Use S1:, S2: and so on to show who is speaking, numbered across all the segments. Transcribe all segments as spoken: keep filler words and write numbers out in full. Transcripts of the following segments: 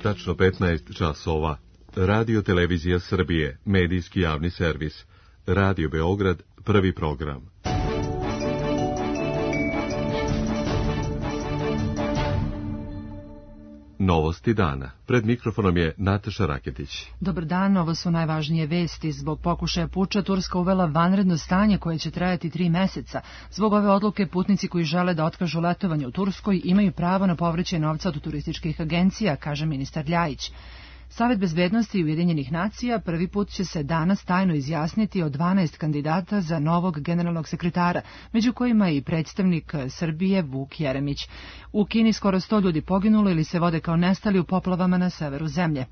S1: Tačno petnaest časova. Radio Televizija Srbije, medijski javni servis. Radio Beograd, prvi program. Novosti dana. Pred mikrofonom je Nataša Raketić.
S2: Dobar dan, ovo su najvažnije vesti. Zbog pokušaja puča Turska uvela vanredno stanje koje će trajati tri meseca. Zbog ove odluke putnici koji žele da otkažu letovanje u Turskoj imaju pravo na povraćaj novca od turističkih agencija, kaže ministar Ljajić. Savet bezbednosti Ujedinjenih nacija prvi put će se danas tajno izjasniti o dvanaest kandidata za novog generalnog sekretara, među kojima je i predstavnik Srbije Vuk Jeremić. U Kini skoro sto ljudi poginulo ili se vode kao nestali u poplavama na severu zemlje.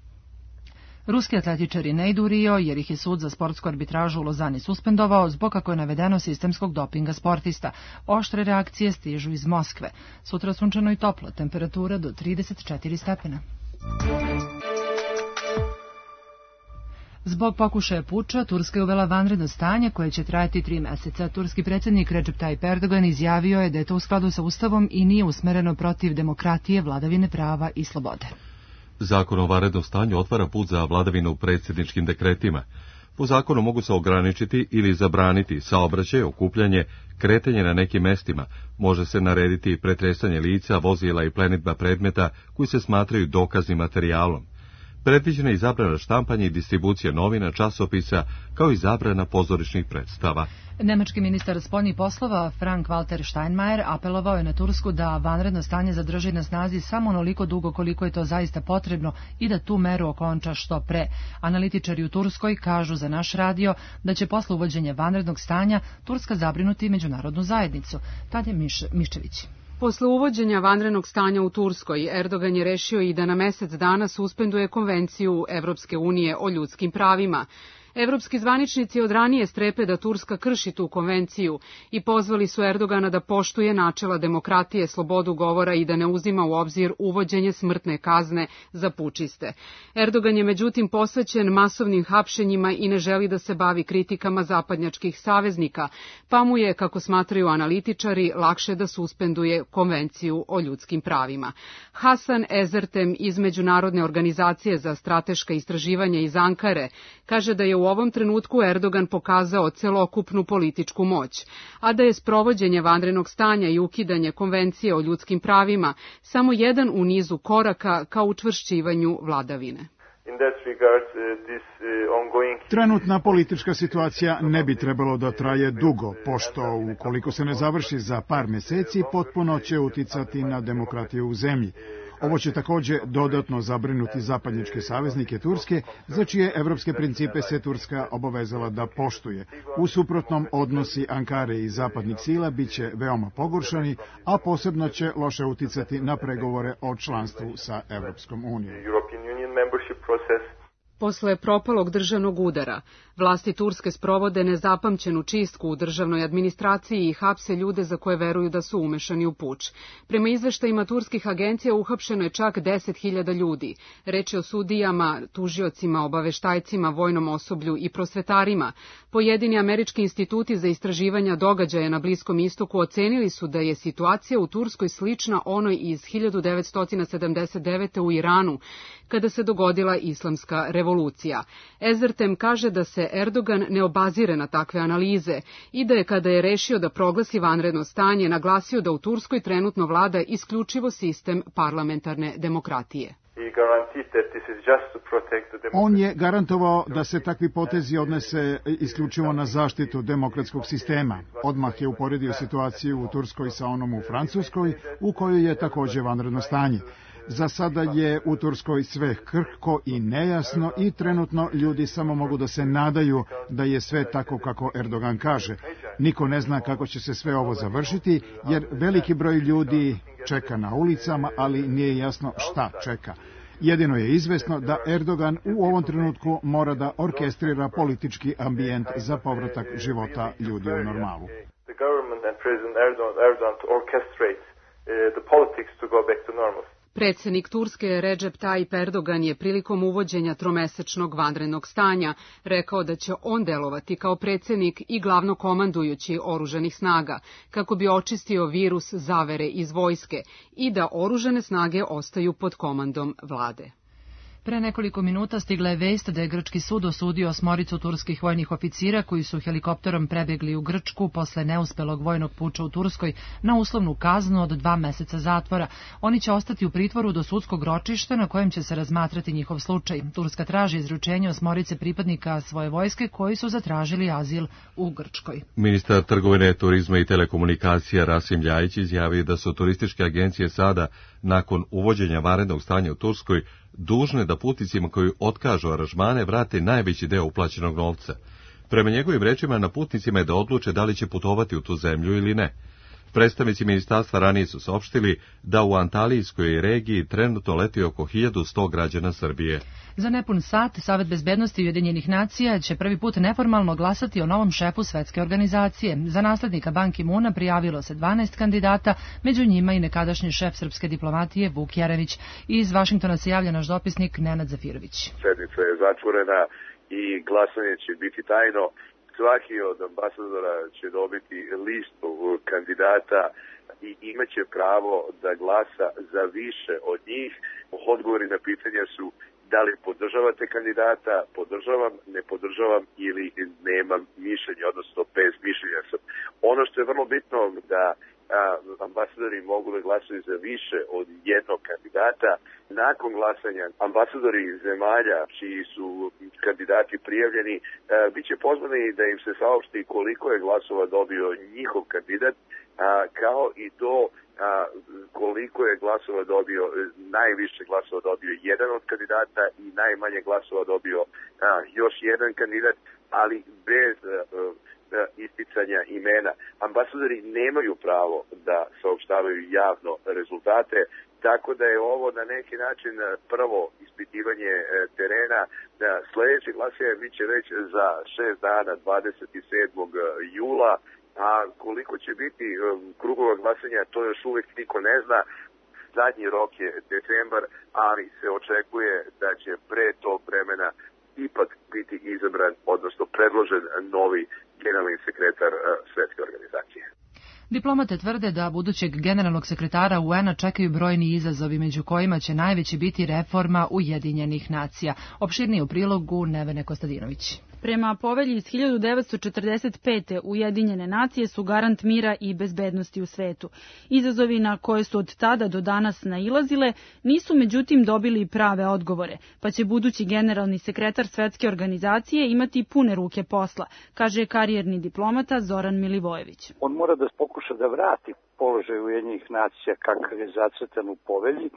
S2: Ruski atletičari ne idu u Rio jer ih je sud za sportsku arbitražu u Lozani suspendovao zbog, kako je navedeno, sistemskog dopinga sportista. Oštre reakcije stižu iz Moskve. Sutra sunčano i toplo, temperatura do trideset četiri stepena. Zbog pokušaja puča, Turska je uvela vanredno stanje koje će trajati tri meseca. Turski predsjednik Recep Tayyip Erdogan izjavio je da je to u skladu sa Ustavom i nije usmereno protiv demokratije, vladavine prava i slobode.
S1: Zakon o vanrednom stanju otvara put za vladavinu predsjedničkim dekretima. Po zakonu mogu se ograničiti ili zabraniti saobraćaj, okupljanje, kretanje na nekim mestima. Može se narediti pretresanje lica, vozila i plenidba predmeta koji se smatraju dokaznim materijalom. Predviđena je i zabrana štampanja i distribucija novina, časopisa, kao i zabrana pozorišnih predstava.
S2: Nemački ministar spoljnih poslova Frank-Walter Steinmeier apelovao je na Tursku da vanredno stanje zadrži na snazi samo onoliko dugo koliko je to zaista potrebno i da tu meru okonča što pre. Analitičari u Turskoj kažu za naš radio da će posle uvođenja vanrednog stanja Turska zabrinuti međunarodnu zajednicu. Tadje Miš, Miščević.
S3: Posle uvođenja vanrednog stanja u Turskoj, Erdogan je rešio i da na mesec dana suspenduje Konvenciju Evropske unije o ljudskim pravima. Evropski zvaničnici od ranije strepe da Turska krši tu konvenciju i pozvali su Erdogana da poštuje načela demokratije, slobodu govora i da ne uzima u obzir uvođenje smrtne kazne za pučiste. Erdogan je međutim posvećen masovnim hapšenjima i ne želi da se bavi kritikama zapadnjačkih saveznika, pa mu je, kako smatraju analitičari, lakše da suspenduje Konvenciju o ljudskim pravima. Hasan Ezertem iz Međunarodne organizacije za strateška istraživanja iz Ankare kaže da je u U ovom trenutku Erdogan pokazao celokupnu političku moć, a da je sprovođenje vanrednog stanja i ukidanje Konvencije o ljudskim pravima samo jedan u nizu koraka ka učvršćivanju vladavine.
S4: Trenutna politička situacija ne bi trebalo da traje dugo, pošto ukoliko se ne završi za par meseci, potpuno će uticati na demokratiju u zemlji. Ovo će takođe dodatno zabrinuti zapadnjačke saveznike Turske, za čije evropske principe se Turska obavezala da poštuje. U suprotnom, odnosi Ankare i zapadnih sila biće veoma pogoršani, a posebno će loše uticati na pregovore o članstvu sa Evropskom unijom.
S3: Posle propalog državnog udara, vlasti Turske sprovode nezapamćenu čistku u državnoj administraciji i hapse ljude za koje veruju da su umešani u puč. Prema izveštajima turskih agencija uhapšeno je čak deset hiljada ljudi. Reč je o sudijama, tužiocima, obaveštajcima, vojnom osoblju i prosvetarima. Pojedini američki instituti za istraživanja događaja na Bliskom istoku ocenili su da je situacija u Turskoj slična onoj iz hiljadu devetsto sedamdeset devete. u Iranu, kada se dogodila islamska revolucija. Ezertem kaže da se Erdogan ne obazire na takve analize i da je, kada je rešio da proglasi vanredno stanje, naglasio da u Turskoj trenutno vlada isključivo sistem parlamentarne demokratije.
S4: On je garantovao da se takvi potezi odnese isključivo na zaštitu demokratskog sistema. Odmah je uporedio situaciju u Turskoj sa onom u Francuskoj, u kojoj je takođe vanredno stanje. Za sada je u Turskoj sve krhko i nejasno i trenutno ljudi samo mogu da se nadaju da je sve tako kako Erdogan kaže. Niko ne zna kako će se sve ovo završiti, jer veliki broj ljudi čeka na ulicama, ali nije jasno šta čeka. Jedino je izvesno da Erdogan u ovom trenutku mora da orkestrira politički ambijent za povratak života ljudi u normalu.
S3: Predsjednik Turske Recep Tayyip Erdogan je prilikom uvođenja tromesečnog vanrednog stanja rekao da će on delovati kao predsjednik i glavnokomandujući oružanih snaga, kako bi očistio virus zavere iz vojske i da oružane snage ostaju pod komandom vlade.
S2: Pre nekoliko minuta stigla je vest da je grčki sud osudio osmoricu turskih vojnih oficira koji su helikopterom prebegli u Grčku posle neuspelog vojnog puča u Turskoj na uslovnu kaznu od dva meseca zatvora. Oni će ostati u pritvoru do sudskog ročišta na kojem će se razmatrati njihov slučaj. Turska traži izručenje osmorice pripadnika svoje vojske koji su zatražili azil u Grčkoj.
S1: Ministar trgovine, turizma i telekomunikacija Rasim Ljajić izjavio da su turističke agencije sada, nakon uvođenja vanrednog stanja u Turskoj, dužne da putnicima koji otkažu aranžmane vrate najveći deo uplaćenog novca. Prema njegovim rečima, na putnicima je da odluče da li će putovati u tu zemlju ili ne. Predstavnici ministarstva ranije su saopštili da u Antalijskoj regiji trenutno leti oko hiljadu sto građana Srbije.
S2: Za nepun sat Savet bezbednosti Ujedinjenih nacija će prvi put neformalno glasati o novom šefu svetske organizacije. Za naslednika Ban Ki-moona prijavilo se dvanaest kandidata, među njima i nekadašnji šef srpske diplomatije Vuk Jeremić. Iz Vašingtona se javlja naš dopisnik Nenad Zafirović.
S5: Sednica je zatvorena i glasanje će biti tajno. Svaki od ambasadora će dobiti listu kandidata i imaće pravo da glasa za više od njih. Odgovori na pitanja su da li podržavate kandidata, podržavam, ne podržavam ili nemam mišljenje, odnosno bez mišljenja sam. Ono što je vrlo bitno da a, ambasadori mogu da glasaju za više od jednog kandidata. Nakon glasanja ambasadori zemalja čiji su kandidati prijavljeni a, bit će pozvani da im se saopšti koliko je glasova dobio njihov kandidat, a, kao i to a, koliko je glasova dobio, najviše glasova dobio jedan od kandidata i najmanje glasova dobio a, još jedan kandidat, ali bez a, a, isticanja imena. Ambasadori nemaju pravo da saopštavaju javno rezultate, tako da je ovo na neki način prvo ispitivanje terena. Sljedeće glasanje biće već za šest dana, dvadeset sedmog jula, a koliko će biti krugova glasanja, to još uvijek niko ne zna. Zadnji rok je decembar, ali se očekuje da će pre tog vremena ipak biti izabran, odnosno predložen novi generalni sekretar Svetske organizacije.
S2: Diplomate tvrde da budućeg generalnog sekretara U N-a čekaju brojni izazovi, među kojima će najveći biti reforma Ujedinjenih nacija. Opširnije u prilogu Nevene Kostadinović.
S6: Prema povelji iz hiljadu devetsto četrdeset pete. Ujedinjene nacije su garant mira i bezbednosti u svetu. Izazovi na koje su od tada do danas nailazile nisu međutim dobili prave odgovore, pa će budući generalni sekretar Svetske organizacije imati pune ruke posla, kaže karijerni diplomata Zoran Milivojević.
S7: On mora da pokuša da vrati položaj Ujedinjenih nacija kakav je zacrtan u povelji,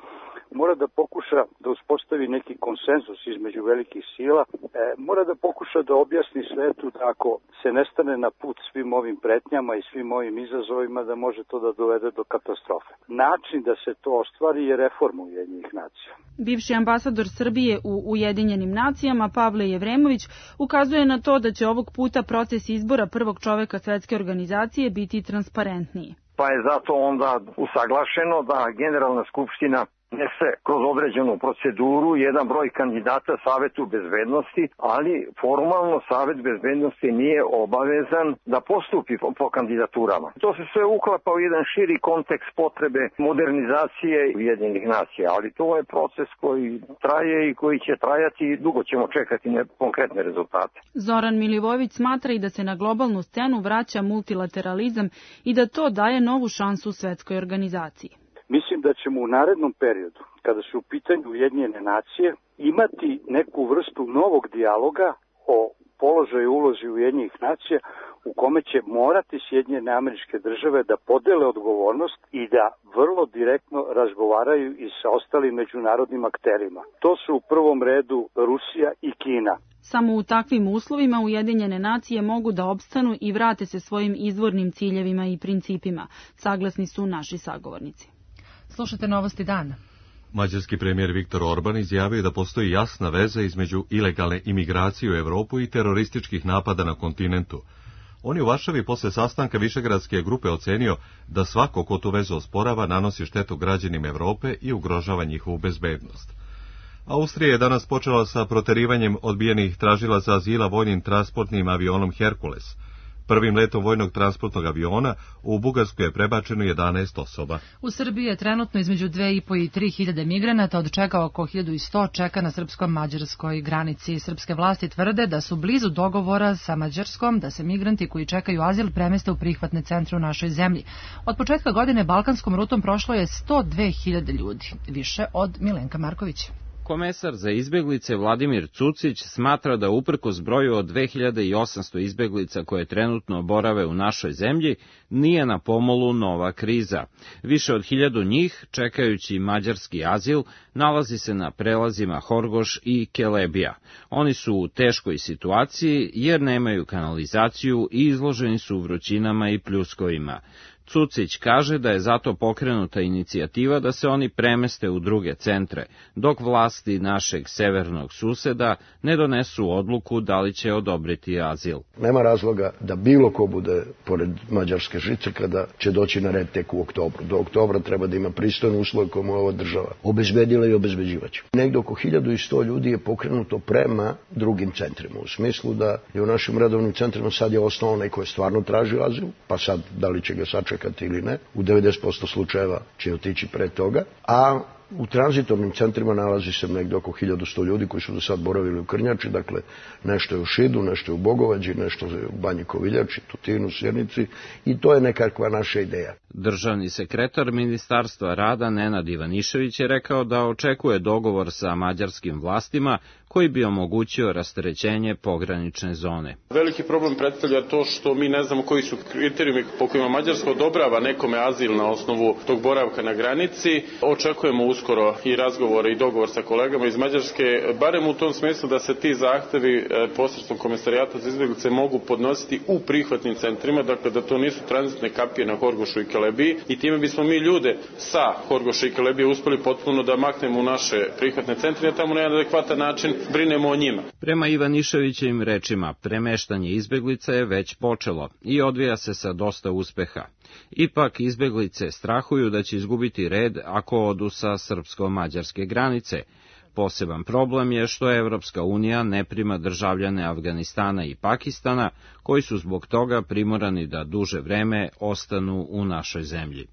S7: mora da pokuša da uspostavi neki konsenzus između velikih sila, e, mora da pokuša da objasni svetu da ako se ne stane na put svim ovim pretnjama i svim ovim izazovima, da može to da dovede do katastrofe. Način da se to ostvari je reforma Ujedinjenih nacija.
S6: Bivši ambasador Srbije u Ujedinjenim nacijama Pavle Jevremović ukazuje na to da će ovog puta proces izbora prvog čoveka Svetske organizacije biti transparentniji.
S8: Pa je zato onda usaglašeno da Generalna skupština nese kroz određenu proceduru jedan broj kandidata Savetu bezbednosti, ali formalno Savet bezbednosti nije obavezan da postupi po, po kandidaturama. To se sve uklapa u jedan širi kontekst potrebe modernizacije Ujedinjenih nacija, ali to je proces koji traje i koji će trajati i dugo ćemo čekati ne, konkretne rezultate.
S6: Zoran Milivojević smatra i da se na globalnu scenu vraća multilateralizam i da to daje novu šansu Svetskoj organizaciji.
S7: Mislim da ćemo u narednom periodu, kada su u pitanju Ujedinjene nacije, imati neku vrstu novog dijaloga o položaju ulozi Ujedinjenih nacija u kome će morati Sjedinjene Američke Države da podele odgovornost i da vrlo direktno razgovaraju i sa ostalim međunarodnim akterima. To su u prvom redu Rusija i Kina.
S6: Samo u takvim uslovima Ujedinjene nacije mogu da opstanu i vrate se svojim izvornim ciljevima i principima, saglasni su naši sagovornici.
S2: Slušajte novosti dana.
S1: Mađarski premijer Viktor Orban izjavio da postoji jasna veza između ilegalne imigracije u Evropu i terorističkih napada na kontinentu. On je u Varšavi posle sastanka Višegradske grupe ocenio da svako ko tu vezu osporava nanosi štetu građanima Evrope i ugrožava njihovu bezbednost. Austrija je danas počela sa proterivanjem odbijenih tražilaca azila vojnim transportnim avionom Herkules. Prvim letom vojnog transportnog aviona u Bugarsku je prebačeno jedanaest osoba.
S2: U Srbiji je trenutno između dve i po i tri hiljade migranata, od čega oko hiljadu sto čeka na srpsko-mađarskoj granici. Srpske vlasti tvrde da su blizu dogovora sa Mađarskom da se migranti koji čekaju azil premeste u prihvatne centre u našoj zemlji. Od početka godine balkanskom rutom prošlo je sto dve hiljade ljudi, više od Milenka Markovića.
S9: Komesar za izbeglice Vladimir Cucić smatra da uprkos broju od dve hiljade osamsto izbeglica koje trenutno borave u našoj zemlji, nije na pomolu nova kriza. Više od hiljadu njih, čekajući mađarski azil, nalazi se na prelazima Horgoš i Kelebija. Oni su u teškoj situaciji jer nemaju kanalizaciju i izloženi su vrućinama i pljuskovima. Cucić kaže da je zato pokrenuta inicijativa da se oni premeste u druge centre, dok vlasti našeg severnog suseda ne donesu odluku da li će odobriti azil.
S10: Nema razloga da bilo ko bude pored mađarske žice kada će doći na red tek u oktobru. Do oktobra treba da ima pristojne uslove koje mu ova država obezbedila i obezbeđivaće. Negde oko hiljadu sto ljudi je pokrenuto prema drugim centrima, u smislu da je u našim redovnim centrima sad je osnovno onaj koji je stvarno tražio azil, pa sad da li će ga sačekati ili ne, u devedeset posto slučajeva će otići pre toga, a u tranzitornim centrima nalazi se negde oko hiljadu sto ljudi koji su do sad boravili u Krnjači, dakle nešto je u Šidu, nešto je u Bogovađi, nešto je u Banji Koviljači, Tutinu, Sjenici i to je nekakva naša ideja.
S9: Državni sekretar Ministarstva rada Nenad Ivanišević je rekao da očekuje dogovor sa mađarskim vlastima koji bi omogućio rasterećenje pogranične zone.
S11: Veliki problem predstavlja to što mi ne znamo koji su kriterijumi po kojima Mađarska odobrava nekome azil na osnovu tog boravka na granici. Očekujemo uskoro i razgovore i dogovor sa kolegama iz Mađarske, barem u tom smislu da se ti zahtevi posredstvom Komesarijata za izbeglice mogu podnositi u prihvatnim centrima, dakle da to nisu tranzitne kapije na Horgošu i Kelebiji i time bismo mi ljude sa Horgoša i Kelebije uspeli potpuno da maknemo u naše prihvatne centre, a tamo na jedan adekvatan način brinemo o njima.
S9: Prema Ivaniševićevim rečima, premeštanje izbeglica je već počelo i odvija se sa dosta uspeha. Ipak izbeglice strahuju da će izgubiti red ako odu sa srpsko-mađarske granice. Poseban problem je što Evropska unija ne prima državljane Afganistana i Pakistana, koji su zbog toga primorani da duže vreme ostanu u našoj zemlji.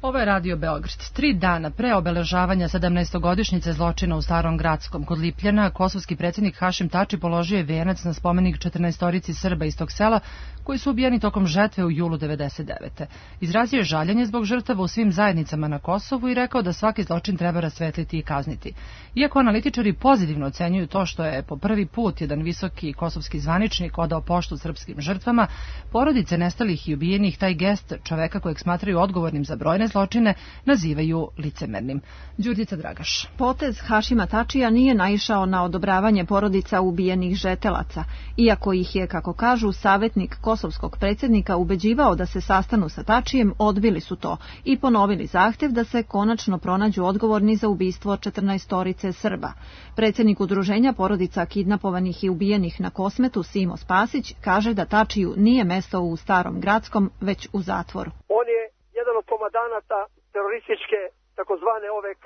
S2: Ovo je Radio Beograd. Tri dana pre obeležavanja sedamnaestogodišnjice zločina u Starom Gradskom kod Lipljana, kosovski predsjednik Hašim Tači položio je venac na spomenik četrnaestorici Srba iz tog sela koji su ubijeni tokom žetve u julu devedeset devete. Izrazio je žaljenje zbog žrtava u svim zajednicama na Kosovu i rekao da svaki zločin treba rasvetliti i kazniti. Iako analitičari pozitivno ocenjuju to što je po prvi put jedan visoki kosovski zvaničnik odao poštu srpskim žrtvama, porodice nestalih i ubijenih taj gest čoveka kojeg smatraju odgovornim za brojne zločine nazivaju licemernim. Đurđica Dragaš.
S12: Potez Hašima Tačija nije naišao na odobravanje porodica ubijenih žetelaca, iako ih je, kako kažu, savjetnik kosovskog predsjednika ubeđivao da se sastanu sa Tačijem, odbili su to i ponovili zahtjev da se konačno pronađu odgovorni za ubistvo četrnaestorice Srba. Predsjednik udruženja porodica kidnapovanih i ubijenih na Kosmetu, Simo Spasić, kaže da Tačiju nije mesto u Starom Gradskom, već u zatvoru.
S13: On je jedan od komandanata terorističke takozvane O V K.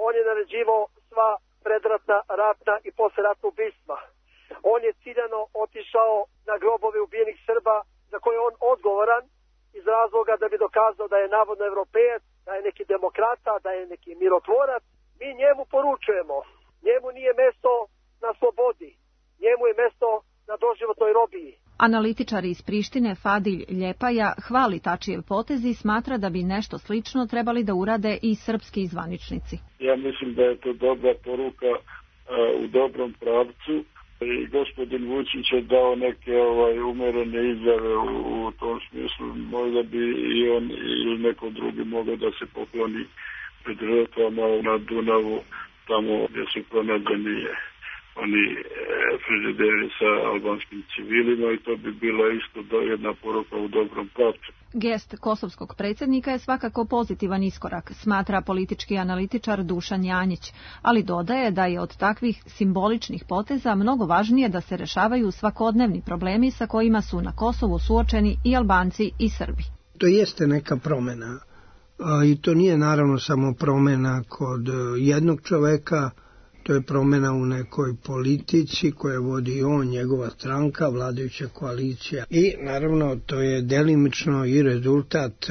S13: On je naređivao sva predratna, ratna i posleratna ubistva. On je ciljano otišao na grobove ubijenih Srba za koje je on odgovoran iz razloga da bi dokazao da je navodno evropejac, da je neki demokrata, da je neki mirotvorac. Mi njemu poručujemo, njemu nije mesto na slobodi, njemu je mesto na doživotnoj robiji.
S12: Analitičar iz Prištine Fadilj Ljepaja hvali Tačijev potez i smatra da bi nešto slično trebali da urade i srpski zvaničnici.
S14: Ja mislim da je to dobra poruka uh, u dobrom pravcu i gospodin Vučić je dao neke ovaj, umerene izjave u, u tom smislu. Možda bi i on ili neko drugi mogao da se pokloni pred žrtvama na Dunavu, tamo gdje su pronađeni oni frižideri sa albanskim civilima i to bi bila isto jedna poruka u dobrom pravcu.
S12: Gest kosovskog predsjednika je svakako pozitivan iskorak, smatra politički analitičar Dušan Janjić, ali dodaje da je od takvih simboličnih poteza mnogo važnije da se rešavaju svakodnevni problemi sa kojima su na Kosovu suočeni i Albanci i Srbi.
S15: To jeste neka promjena i to nije naravno samo promjena kod jednog čoveka, To je promjena u nekoj politici koje vodi on, njegova stranka, vladajuća koalicija. I naravno to je delimično i rezultat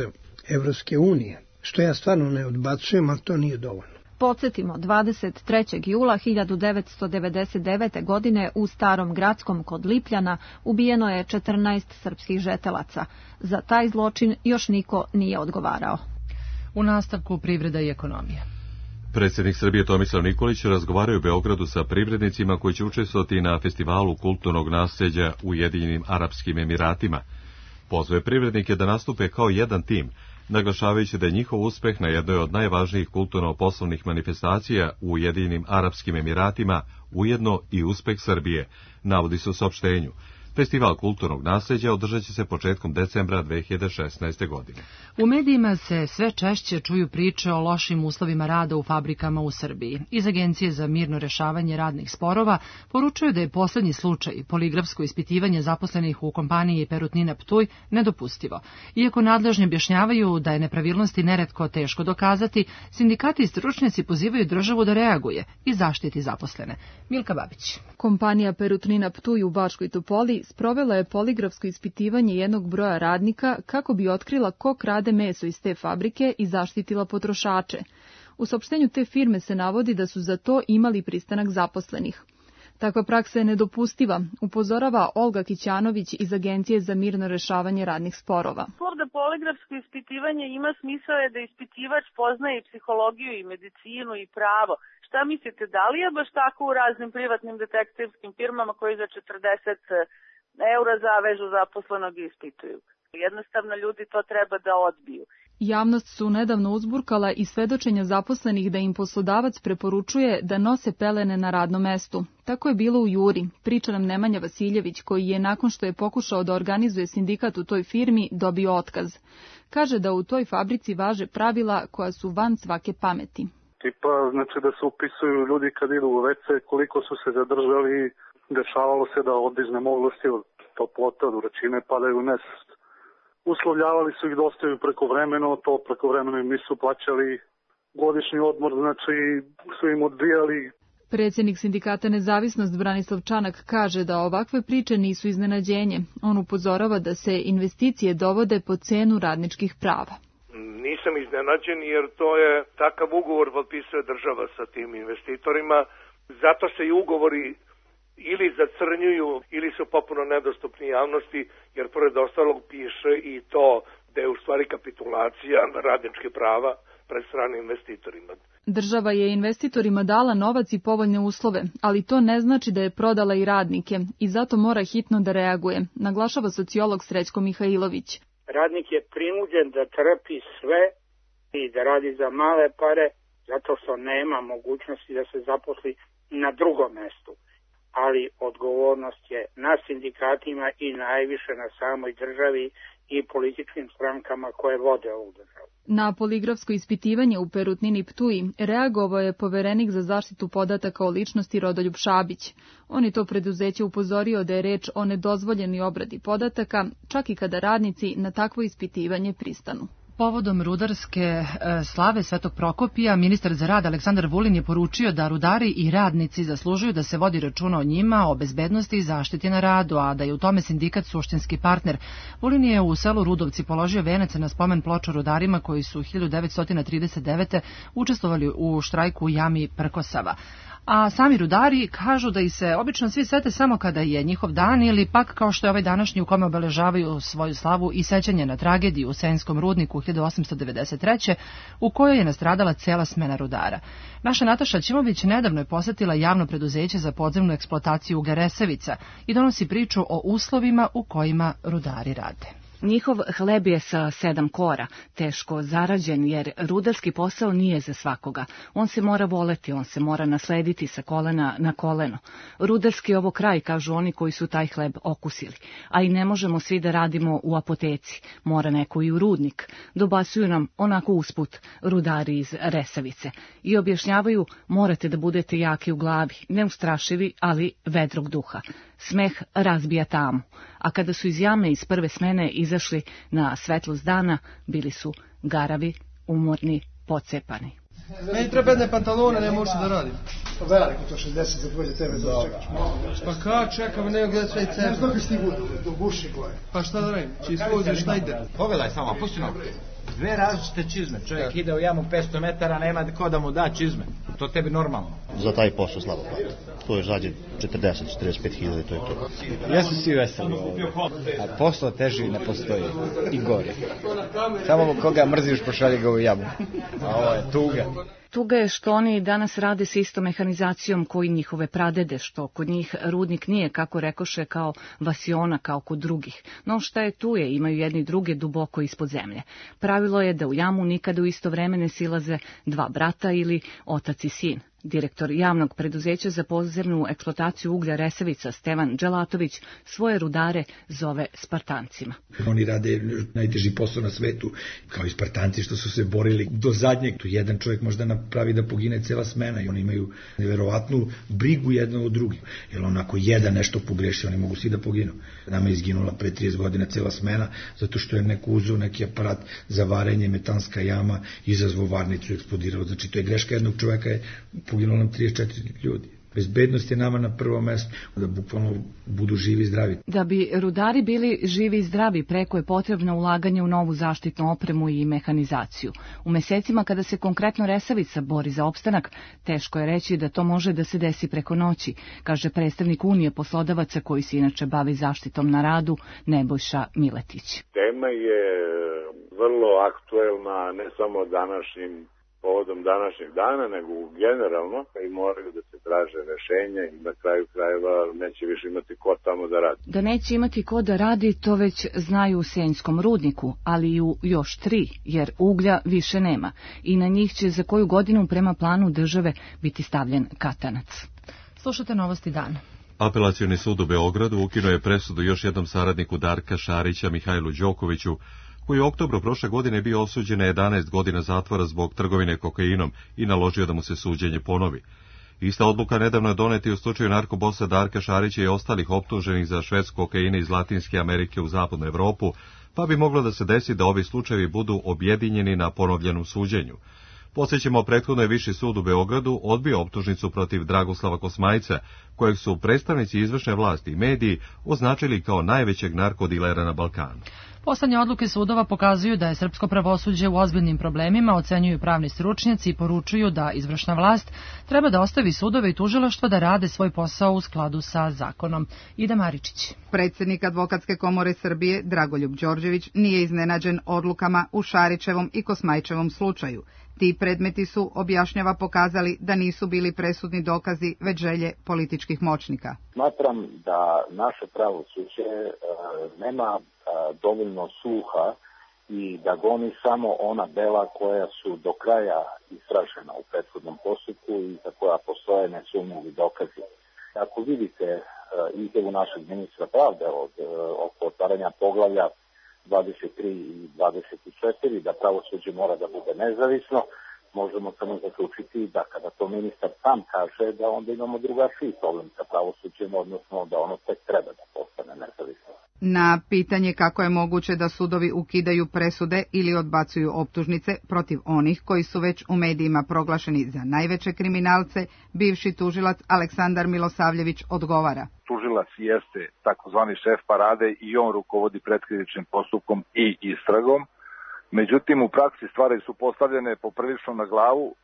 S15: Evropske unije, što ja stvarno ne odbacujem, ali to nije dovoljno.
S12: Podsjetimo, dvadeset trećeg jula hiljadu devetsto devedeset devete. godine u Starom Gradskom kod Lipljana ubijeno je četrnaest srpskih žetelaca. Za taj zločin još niko nije odgovarao.
S2: U nastavku privreda i ekonomija.
S1: Predsjednik Srbije Tomislav Nikolić razgovaraju u Beogradu sa privrednicima koji će učestvovati na festivalu kulturnog nasljeđa u Ujedinjenim Arapskim Emiratima. Pozvao je privrednike da nastupe kao jedan tim, naglašavajući da je njihov uspeh na jednoj od najvažnijih kulturno-poslovnih manifestacija u Ujedinjenim Arapskim Emiratima ujedno i uspeh Srbije, navodi se u saopštenju. Festival kulturnog nasljeđa održat će se početkom decembra dve hiljade šesnaeste. godine.
S2: U medijima se sve češće čuju priče o lošim uslovima rada u fabrikama u Srbiji. Iz Agencije za mirno rešavanje radnih sporova poručuju da je poslednji slučaj, poligrafsko ispitivanje zaposlenih u kompaniji Perutnina Ptuj, nedopustivo. Iako nadležni objašnjavaju da je nepravilnosti neretko teško dokazati, sindikati i stručnjaci pozivaju državu da reaguje i zaštiti zaposlene. Milka Babić.
S16: Kompanija Perutnina Ptuj u Bačkoj Topoli sprovela je poligrafsko ispitivanje jednog broja radnika kako bi otkrila ko krade meso iz te fabrike i zaštitila potrošače. U saopštenju te firme se navodi da su za to imali pristanak zaposlenih. Takva praksa je nedopustiva, upozorava Olga Kićanović iz Agencije za mirno rešavanje radnih sporova.
S17: Ovde poligrafsko ispitivanje ima smisao je da ispitivač poznaje i psihologiju i medicinu i pravo. Šta mislite, da li je baš tako u raznim privatnim detektivskim firmama koji za četrdeset eura zavežu zaposlenog i ispituju? Jednostavno ljudi to treba da odbiju.
S16: Javnost su nedavno uzburkala i svedočenja zaposlenih da im poslodavac preporučuje da nose pelene na radnom mestu. Tako je bilo u Juri, priča nam Nemanja Vasiljević, koji je nakon što je pokušao da organizuje sindikat u toj firmi dobio otkaz. Kaže da u toj fabrici važe pravila koja su van svake pameti.
S18: Tipa, znači da se upisuju ljudi kad idu u ve ce, koliko su se zadržali, dešavalo se da od iznemoglosti, od toplote, od vrućine padaju u nesvest. Uslovljavali su ih da ostaju prekovremeno, to prekovremeno im nisu plaćali godišnji odmor, znači su im odbijali.
S16: Predsjednik sindikata Nezavisnost Branislav Čanak kaže da ovakve priče nisu iznenađenje. On upozorava da se investicije dovode po cenu radničkih prava.
S19: Nisam iznenađen jer to je takav ugovor potpisuje država sa tim investitorima, zato se i ugovori ili zacrnjuju ili su popuno nedostupni javnosti, jer pored ostalog piše i to da je u stvari kapitulacija radničkih prava pred stranim investitorima.
S16: Država je investitorima dala novac i povoljne uslove, ali to ne znači da je prodala i radnike i zato mora hitno da reaguje, naglašava sociolog Srećko Mihajlović.
S20: Radnik je prinuđen da trpi sve i da radi za male pare zato što nema mogućnosti da se zaposli na drugom mestu. Ali odgovornost je na sindikatima i najviše na samoj državi i političkim strankama koje vode ovu državu.
S16: Na poligrafsko ispitivanje u Perutnini Ptuj reagovao je poverenik za zaštitu podataka o ličnosti Rodoljub Šabić. On je to preduzeće upozorio da je reč o nedozvoljenoj obradi podataka, čak i kada radnici na takvo ispitivanje pristanu.
S2: Povodom rudarske e, slave Svetog Prokopija, ministar za rad Aleksandar Vulin je poručio da rudari i radnici zaslužuju da se vodi računa o njima, o bezbednosti i zaštiti na radu, a da je u tome sindikat suštinski partner. Vulin je u selu Rudovci položio venac na spomen ploču rudarima koji su hiljadu devetsto trideset devete. učestvovali u štrajku u jami Prkosava. A sami rudari kažu da ih se obično svi sete samo kada je njihov dan ili pak kao što je ovaj današnji u kome obeležavaju svoju slavu i sećanje na tragediju u Senskom rudniku hiljadu osamsto devedeset treće. u kojoj je nastradala cela smena rudara. Naša Nataša Ćimović nedavno je posetila javno preduzeće za podzemnu eksploataciju Garesevica i donosi priču o uslovima u kojima rudari rade.
S21: Njihov hleb je sa sedam kora, teško zarađen jer rudarski posao nije za svakoga. On se mora voleti, on se mora naslediti sa kolena na koleno. Rudarski je ovo kraj, kažu oni koji su taj hleb okusili. A i ne možemo svi da radimo u apoteci, mora neko i u rudnik. Dobasuju nam onako usput rudari iz Resavice i objašnjavaju morate da budete jaki u glavi, neustrašivi, ali vedrog duha. Smeh razbija tamu, a kada su iz jame iz prve smene izašli na svetlost dana, bili su garavi, umorni, pocepani.
S22: Meni treba jedne pantalone, ne možeš da radim.
S4: Što veliko, to šezdeset za dvoje tebe da čekaš.
S22: Pa kao čekam, nego gledaj sve i cene.
S4: Ne znam kako stigu do guši gore.
S22: Pa šta da radim, či svozi Schneider.
S23: Pogledaj samo, pusti nogu. Dve različite čizme, čovjek ide u jamu petsto metara, nema ko da mu da čizme. To tebi normalno.
S24: Za taj posao slabo plata. To je zađe četrdeset do četrdeset pet hiljada, to je to.
S23: Jesu svi veseli ovdje. A posao teži ne postoji. I gori. Samo koga mrziš pošalje ga u jamu. A ovo je tuga.
S21: Tuga je što oni danas rade s istom mehanizacijom koji njihove pradede, što kod njih rudnik nije, kako rekoše, kao vasiona, kao kod drugih. No šta je tu je, imaju jedni druge duboko ispod zemlje. Pravilo je da u jamu nikada u isto vreme ne silaze dva brata ili otac i sin. Direktor javnog preduzeća za podzemnu eksploataciju uglja Resavica Stevan Đelatović svoje rudare zove Spartancima.
S25: Oni rade najteži posao na svetu, kao i Spartanci što su se borili do zadnjeg. Tu jedan čovjek možda napravi da pogine cela smena i oni imaju neverovatnu brigu jedno od drugim. Jer on ako jedan nešto pogreši, oni mogu svi da poginu. Nama je izginula pre trideset godina cela smena, zato što je neko uzeo neki aparat za varenje, metanska jama, izazvao varnicu i eksplodirao. Znači to je greška jednog čovjeka, je poginulo nam trideset četiri ljudi. Bezbednost je nama na prvom mestu, da bukvalno budu živi i zdravi.
S21: Da bi rudari bili živi i zdravi, preko je potrebno ulaganje u novu zaštitnu opremu i mehanizaciju. U mesecima kada se konkretno Resavica bori za opstanak, teško je reći da to može da se desi preko noći, kaže predstavnik Unije poslodavaca koji se inače bavi zaštitom na radu, Nebojša Miletić.
S26: Tema je vrlo aktuelna ne samo današnjim povodom današnjeg dana, nego generalno i moraju da se traže rešenja i na kraju krajeva neće više imati ko tamo da radi.
S21: Da neće imati ko da radi, to već znaju u Senjskom rudniku, ali i u još tri, jer uglja više nema i na njih će za koju godinu prema planu države biti stavljen katanac.
S2: Slušate Novosti dana.
S1: Apelacioni sud u Beogradu ukinuo je presudu još jednom saradniku Darka Šarića, Mihajlu Đokoviću, koji je u oktobru prošle godine bio osuđen na jedanaest godina zatvora zbog trgovine kokainom i naložio da mu se suđenje ponovi. Ista odluka nedavno je doneta i u slučaju narkobosa Darka Šarića i ostalih optuženih za šverc kokaina iz Latinske Amerike u zapadnu Evropu, pa bi moglo da se desi da ovi slučajevi budu objedinjeni na ponovljenom suđenju. Podsjećamo, prethodno je Viši sud u Beogradu odbio optužnicu protiv Dragoslava Kosmajca, kojeg su predstavnici izvršne vlasti i mediji označili kao najvećeg narkodilera na Balkanu.
S2: Poslednje odluke sudova pokazuju da je srpsko pravosuđe u ozbiljnim problemima, ocenjuju pravni stručnjaci i poručuju da izvršna vlast treba da ostavi sudove i tužilaštva da rade svoj posao u skladu sa zakonom. Ida Maričić.
S27: Predsednik Advokatske komore Srbije Dragoljub Đorđević nije iznenađen odlukama u Šarićevom i Kosmajčevom slučaju. Ti predmeti su, objašnjava, pokazali da nisu bili presudni dokazi, već želje političkih moćnika.
S28: Smatram da naše pravosuđe e, nema e, dovoljno sluha i da goni samo ona dela koja su do kraja istražena u prethodnom postupku i za koja postoje nesumnjivi dokazi. Ako vidite e, izjavu našeg ministra pravde od e, oko otvaranja poglavlja dvadeset tri i dvadeset četiri, da pravosuđe mora da bude nezavisno, možemo samo zaključiti da kada to ministar sam kaže, da onda imamo drugačiji problem sa pravosuđem, odnosno da ono tek treba da postane nezavisno.
S27: Na pitanje kako je moguće da sudovi ukidaju presude ili odbacuju optužnice protiv onih koji su već u medijima proglašeni za najveće kriminalce, bivši tužilac Aleksandar Milosavljević odgovara.
S29: Tužilac jeste takozvani šef parade i on rukovodi pretkrivičnim postupkom i istragom. Međutim, u praksi stvari su postavljene poprilično na glavu,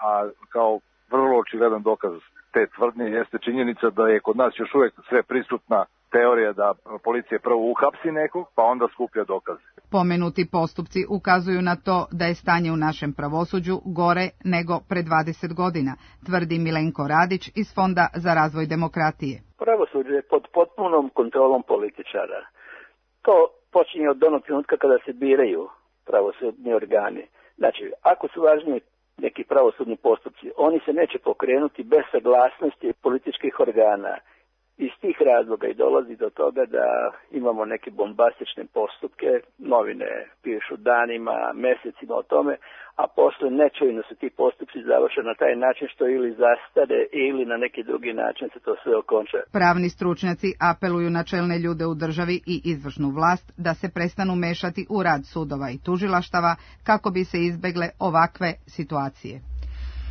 S29: a kao vrlo očigledan dokaz te tvrdnje jeste činjenica da je kod nas još uvijek sve prisutna teorija da policija prvo uhapsi nekog, pa onda skuplja dokaze.
S27: Pomenuti postupci ukazuju na to da je stanje u našem pravosuđu gore nego pre dvadeset godina, tvrdi Milenko Radić iz Fonda za razvoj demokratije.
S30: Pravosuđe je pod potpunom kontrolom političara. To počinje od onog trenutka kada se biraju pravosudni organi. Znači, ako su važniji neki pravosudni postupci, oni se neće pokrenuti bez saglasnosti političkih organa. Iz tih razloga i dolazi do toga da imamo neke bombastične postupke, novine pišu danima, mesecima o tome, a posle nečujno se ti postupci završe na taj način što ili zastare ili na neki drugi način se to sve okonča.
S27: Pravni stručnjaci apeluju na čelne ljude u državi i izvršnu vlast da se prestanu mešati u rad sudova i tužilaštava kako bi se izbegle ovakve situacije.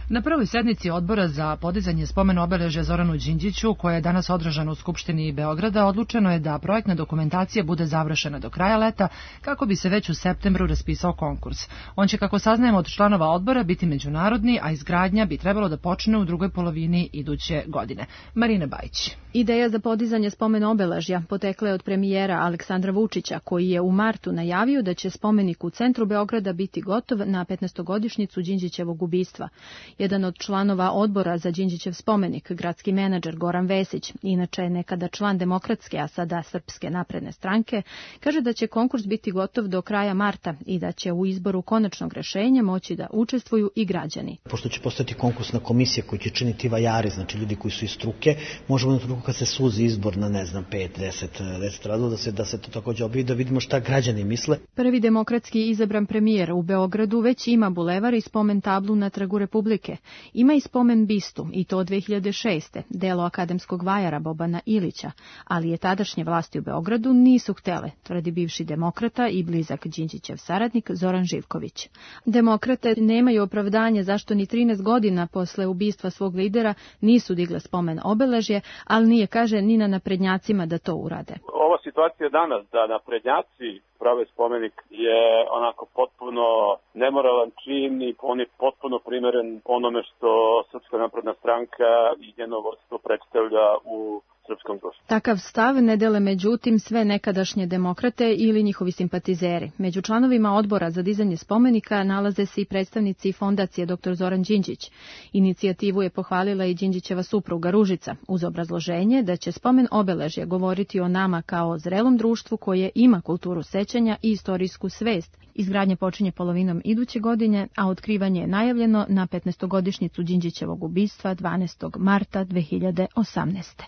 S2: Na prvoj sednici odbora za podizanje spomen obeležja Zoranu Đinđiću, koja je danas održana u Skupštini Beograda, odlučeno je da projektna dokumentacija bude završena do kraja leta, kako bi se već u septembru raspisao konkurs. On će, kako saznajemo od članova odbora, biti međunarodni, a izgradnja bi trebalo da počne u drugoj polovini iduće godine. Marina Bajić.
S12: Ideja za podizanje spomen obeležja potekla je od premijera Aleksandra Vučića, koji je u martu najavio da će spomenik u centru Beograda biti gotov na petnaestogodišnjicu Đinđićevog ubistva. Jedan od članova odbora za Đinđićev spomenik, gradski menadžer Goran Vesić, inače nekada član Demokratske, a sada Srpske napredne stranke, kaže da će konkurs biti gotov do kraja marta i da će u izboru konačnog rešenja moći da učestvuju i građani.
S3: Pošto će postati konkursna komisija koju će činiti vajari, znači ljudi koji su iz struke, možemo na trenutku kad se suzi izbor na, ne znam, pet, deset, deset radova, da se, da se to takođe objavi, da vidimo šta građani misle.
S12: Prvi demokratski izabran premijer u Beogradu već ima bulevar i spomen tablu na Trgu Republike. Ima i spomen bistu, i to od dve hiljade šeste. delo akademskog vajara Bobana Ilića, ali je tadašnje vlasti u Beogradu nisu htele, tvrdi bivši demokrata i blizak Đinđićev saradnik Zoran Živković. Demokrate nemaju opravdanje zašto ni trinaest godina posle ubistva svog lidera nisu digle spomen obeležje, ali nije, kaže, ni na naprednjacima da to urade.
S5: Ova situacija danas da naprednjaci prave spomenik je onako potpuno nemoralan čin i on je potpuno primeren onome što Srpska napredna stranka i njeno vodstvo predstavlja u srpskom društvu.
S12: Takav stav ne dele međutim sve nekadašnje demokrate ili njihovi simpatizeri. Među članovima odbora za dizanje spomenika nalaze se i predstavnici fondacije doktor Zoran Đinđić. Inicijativu je pohvalila i Đinđićeva supruga Ružica, uz obrazloženje da će spomen obeležja govoriti o nama kao o zrelom društvu koje ima kulturu sećanja i istorijsku svest. Izgradnja počinje polovinom iduće godine, a otkrivanje je najavljeno na petnaestogodišnjicu Đinđićevog ubistva dvanaestog marta dve hiljade osamnaeste.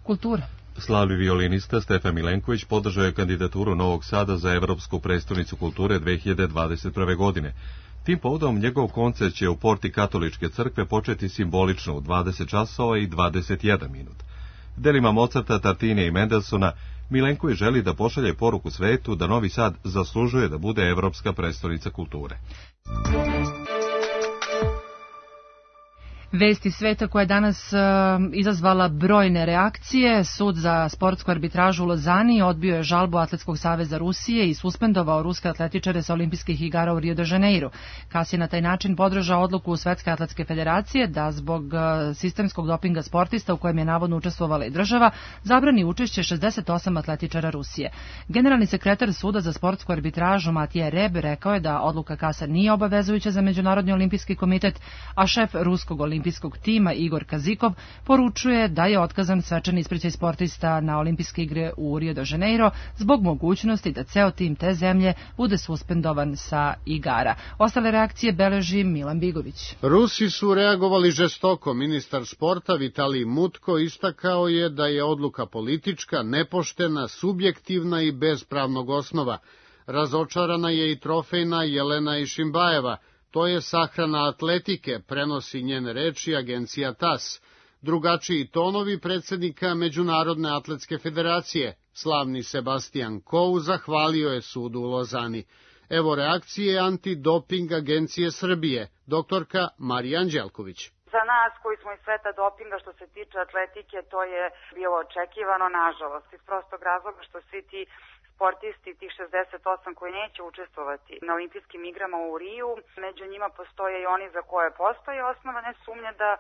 S2: Kultura.
S1: Slavni violinista Stefan Milenković podržao je kandidaturu Novog Sada za Evropsku prestonicu kulture dve hiljade dvadeset prve. godine. Tim povodom njegov koncert će u porti Katoličke crkve početi simbolično u dvadeset časova i dvadeset jedan minut. Delima Mozarta, Tartine i Mendelsona Milenković želi da pošalje poruku svetu da Novi Sad zaslužuje da bude Evropska prestonica kulture.
S2: Vesti sveta koja je danas uh, izazvala brojne reakcije. Sud za sportsku arbitražu u Lozani odbio je žalbu Atletskog saveza Rusije i suspendovao ruske atletičare sa olimpijskih igara u Rio de Janeiro. Kas je na taj način podržao odluku Svetske atletske federacije da zbog uh, sistemskog dopinga sportista u kojem je navodno učestvovala i država zabrani učešće šezdeset osam atletičara Rusije. Generalni sekretar Suda za sportsku arbitražu Matija Reb rekao je da odluka Kasa nije obavezujuća za Međunarodni olimpijski komitet, a šef ruskog olimpijskog olimpijskog tima Igor Kazikov poručuje da je otkazan svečani ispraćaj sportista na olimpijske igre u Rio de Janeiro zbog mogućnosti da ceo tim te zemlje bude suspendovan sa igara. Ostale reakcije beleži Milan Bigović.
S6: Rusi su reagovali žestoko. Ministar sporta Vitalij Mutko istakao je da je odluka politička, nepoštena, subjektivna i bez pravnog osnova. Razočarana je i trofejna Jelena Išimbajeva. To je sahrana atletike, prenosi njene reči agencija TAS. Drugačiji tonovi predsjednika Međunarodne atletske federacije, slavni Sebastian Kou, zahvalio je sudu u Lozani. Evo reakcije antidoping agencije Srbije, doktorka Marija Anđelković.
S7: Za nas koji smo iz sveta dopinga što se tiče atletike, to je bilo očekivano, nažalost, iz prostog razloga što svi ti sportisti, tih šezdeset osam koji neće učestvovati na olimpijskim igrama u Riju, među njima postoje i oni za koje postoje osnovane sumnje da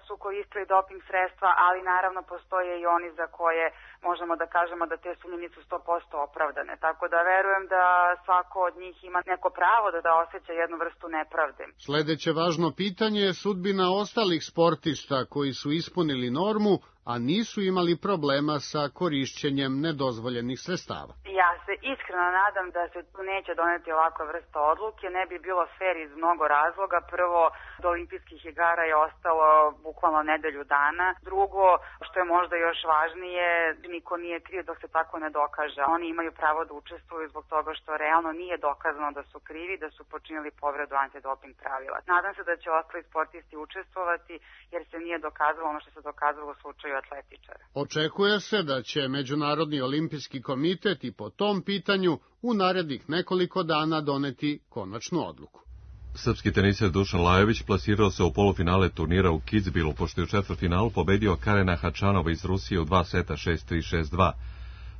S7: su koristili doping sredstva, ali naravno postoje i oni za koje možemo da kažemo da te sumnje nisu sto posto opravdane. Tako da verujem da svako od njih ima neko pravo da da osjeća jednu vrstu nepravde.
S6: Sledeće važno pitanje je sudbina ostalih sportista koji su ispunili normu, a nisu imali problema sa korišćenjem nedozvoljenih sredstava.
S7: Ja se iskreno nadam da se tu neće doneti ovakva vrsta odluke, ne bi bilo fair iz mnogo razloga. Prvo, do olimpijskih igara je ostalo bukvalno nedelju dana. Drugo, što je možda još važnije, niko nije kriv dok se tako ne dokaže. Oni imaju pravo da učestvuju zbog toga što realno nije dokazano da su krivi, da su počinili povredu antidoping pravila. Nadam se da će ostali sportisti učestvovati jer se nije dokazalo ono što se dokazalo u slučaju atletičara.
S6: Očekuje se da će Međunarodni olimpijski komitet i po tom pitanju u narednih nekoliko dana doneti konačnu odluku.
S1: Srpski teniser Dušan Lajović plasirao se u polufinale turnira u Kitzbühelu, pošto je u četvrtfinalu pobedio Karena Hačanova iz Rusije u dva seta šest tri šest dva.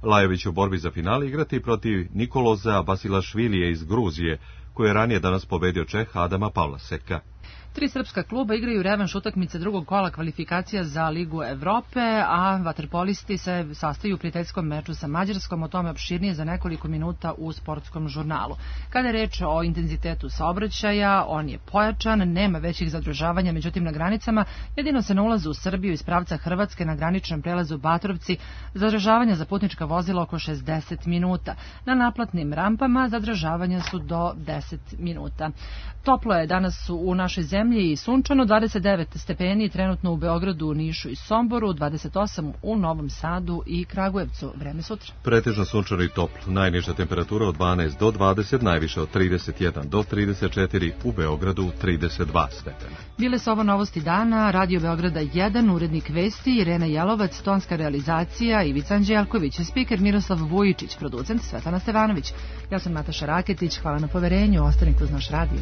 S1: Lajović u borbi za finale igrati protiv Nikoloza Basilašvilija iz Gruzije, koji je ranije danas pobedio Čeh Adama Pavlaseka.
S2: Tri srpska kluba igraju revanš utakmice drugog kola kvalifikacija za Ligu Evrope, a vaterpolisti se sastaju u prijateljskom meču sa Mađarskom, o tome opširnije za nekoliko minuta u sportskom žurnalu. Kada je reč o intenzitetu saobraćaja, on je pojačan, nema većih zadržavanja, međutim na granicama, jedino se na ulazu u Srbiju iz pravca Hrvatske na graničnom prelazu Batrovci zadržavanja za putnička vozila oko šezdeset minuta. Na naplatnim rampama zadržavanja su do deset minuta. Toplo je danas u našoj zemlji i sunčano, dvadeset devet stepeni trenutno u Beogradu, Nišu i Somboru, dvadeset osam u Novom Sadu i Kragujevcu. Vreme sutra.
S1: Pretežno sunčano i toplo. Najniža temperatura od dvanaest do dvadeset, najviše od trideset jedan do trideset četiri, u Beogradu trideset dva stepena.
S2: Bile su ovo novosti dana, Radio Beograda jedan, urednik vesti Irena Jelovac, tonska realizacija Ivica Anđelković, spiker Miroslav Vujičić, producent Svetlana Stevanović. Ja sam Nataša Raketić, hvala na poverenju, ostanite uz naš radio.